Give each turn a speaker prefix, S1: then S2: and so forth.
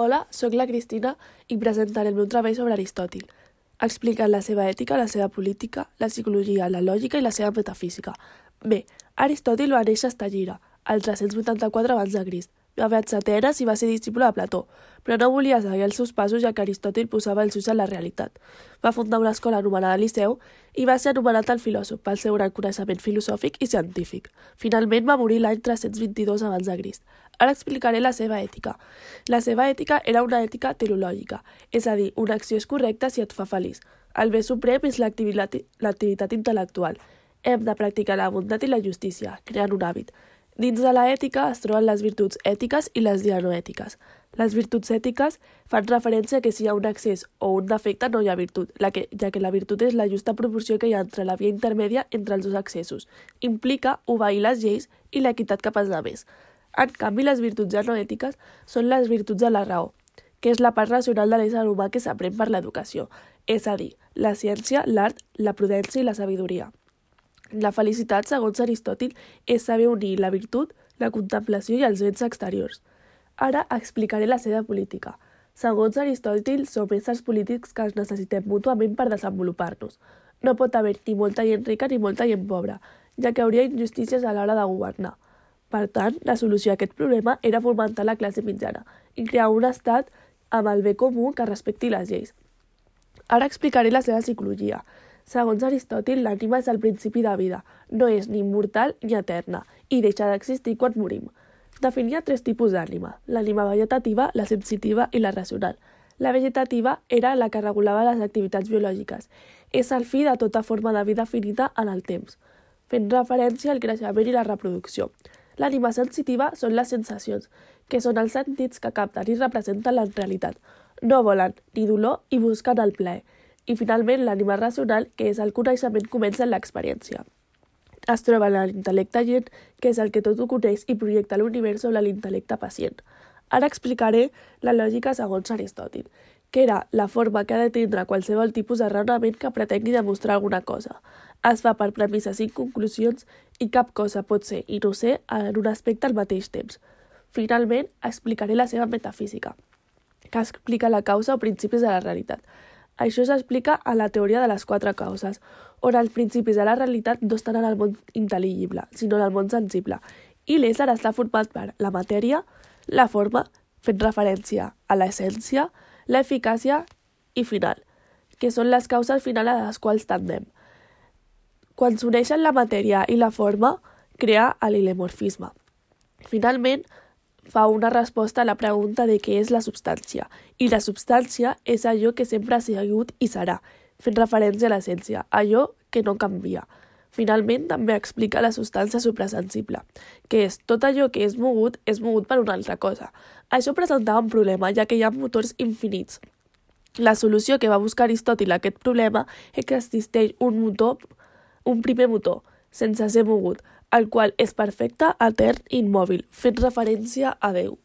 S1: Hola, sóc la Cristina i presentaré el meu treball sobre Aristòtil, explicant la seva ètica, la seva política, la psicologia, la lògica i la seva metafísica. Bé, Aristòtil va néixer a Estagira, al 384 abans de Crist. Va viatjar a Atenes i va ser discípul de Plató, però no volia seguir els seus passos ja que Aristòtil posava els ulls en la realitat. Va fundar una escola anomenada Liceu i va ser anomenat el filòsof pel seu gran coneixement filosòfic i científic. Finalment va morir l'any 322 abans de Crist. Ara explicaré la seva ètica. La seva ètica era una ètica teleològica, és a dir, una acció és correcta si et fa feliç. El bé suprem és l'activitat intel·lectual. Hem de practicar la bondat i la justícia, creant un hàbit. Dins de l'ètica es troben les virtuts ètiques i les dianoètiques. Les virtuts ètiques fan referència a que si hi ha un excés o un defecte no hi ha virtut, ja que la virtut és la justa proporció que hi ha entre la via intermèdia entre els dos excessos. Implica obeir les lleis i l'equitat cap als altres. En canvi, les virtuts dianoètiques són les virtuts de la raó, que és la part racional de l'ésser humà que s'aprèn per l'educació, és a dir, la ciència, l'art, la prudència i la sabidoria. La felicitat, segons Aristòtil, és saber unir la virtut, la contemplació i els béns exteriors. Ara explicaré la seva política. Segons Aristòtil, som éssers polítics que ens necessitem mútuament per desenvolupar-nos. No pot haver ni molta gent rica ni molta gent pobra, ja que hauria injustícies a l'hora de governar. Per tant, la solució a aquest problema era fomentar la classe mitjana i crear un estat amb el bé comú que respecti les lleis. Ara explicaré la seva psicologia. Segons Aristòtil, l'ànima és el principi de vida, no és ni immortal ni eterna, i deixa d'existir quan morim. Definia 3 tipus d'ànima, l'ànima vegetativa, la sensitiva i la racional. La vegetativa era la que regulava les activitats biològiques. És el fi de tota forma de vida finita en el temps, fent referència al creixement i la reproducció. L'ànima sensitiva són les sensacions, que són els sentits que capten i representen la realitat. No volen ni dolor i busquen el plaer. I finalment l'ànima racional, que és el coneixement comença en l'experiència. Es troba en l'intel·lecte agent, que és el que tot ho coneix i projecta l'univers sobre l'intel·lecte pacient. Ara explicaré la lògica segons Aristòtil, que era la forma que ha de tindre qualsevol tipus de raonament que pretengui demostrar alguna cosa. Es fa per premisses i conclusions i cap cosa pot ser i no ser en un aspecte al mateix temps. Finalment, explicaré la seva metafísica, que explica la causa o principis de la realitat. Això s'explica a la teoria de les 4 causes, on els principis de la realitat no estan en el món intel·ligible, sinó en el món sensible, i l'ésser està format per la matèria, la forma, fent referència a l'essència, l'eficàcia i final, que són les causes finals a les quals tendem. Quan s'uneixen la matèria i la forma, crea l'hilemorfisme. Finalment, fa una resposta a la pregunta de què és la substància, i la substància és allò que sempre ha sigut i serà, fent referència a l'essència, allò que no canvia. Finalment, també explica la substància suprasensible, que és tot allò que és mogut per una altra cosa. Això presentava un problema, ja que hi ha motors infinits. La solució que va buscar Aristòtil a aquest problema és que existeix un primer motor, sense ser mogut, el qual és perfecte, etern i immòbil, fent referència a Déu.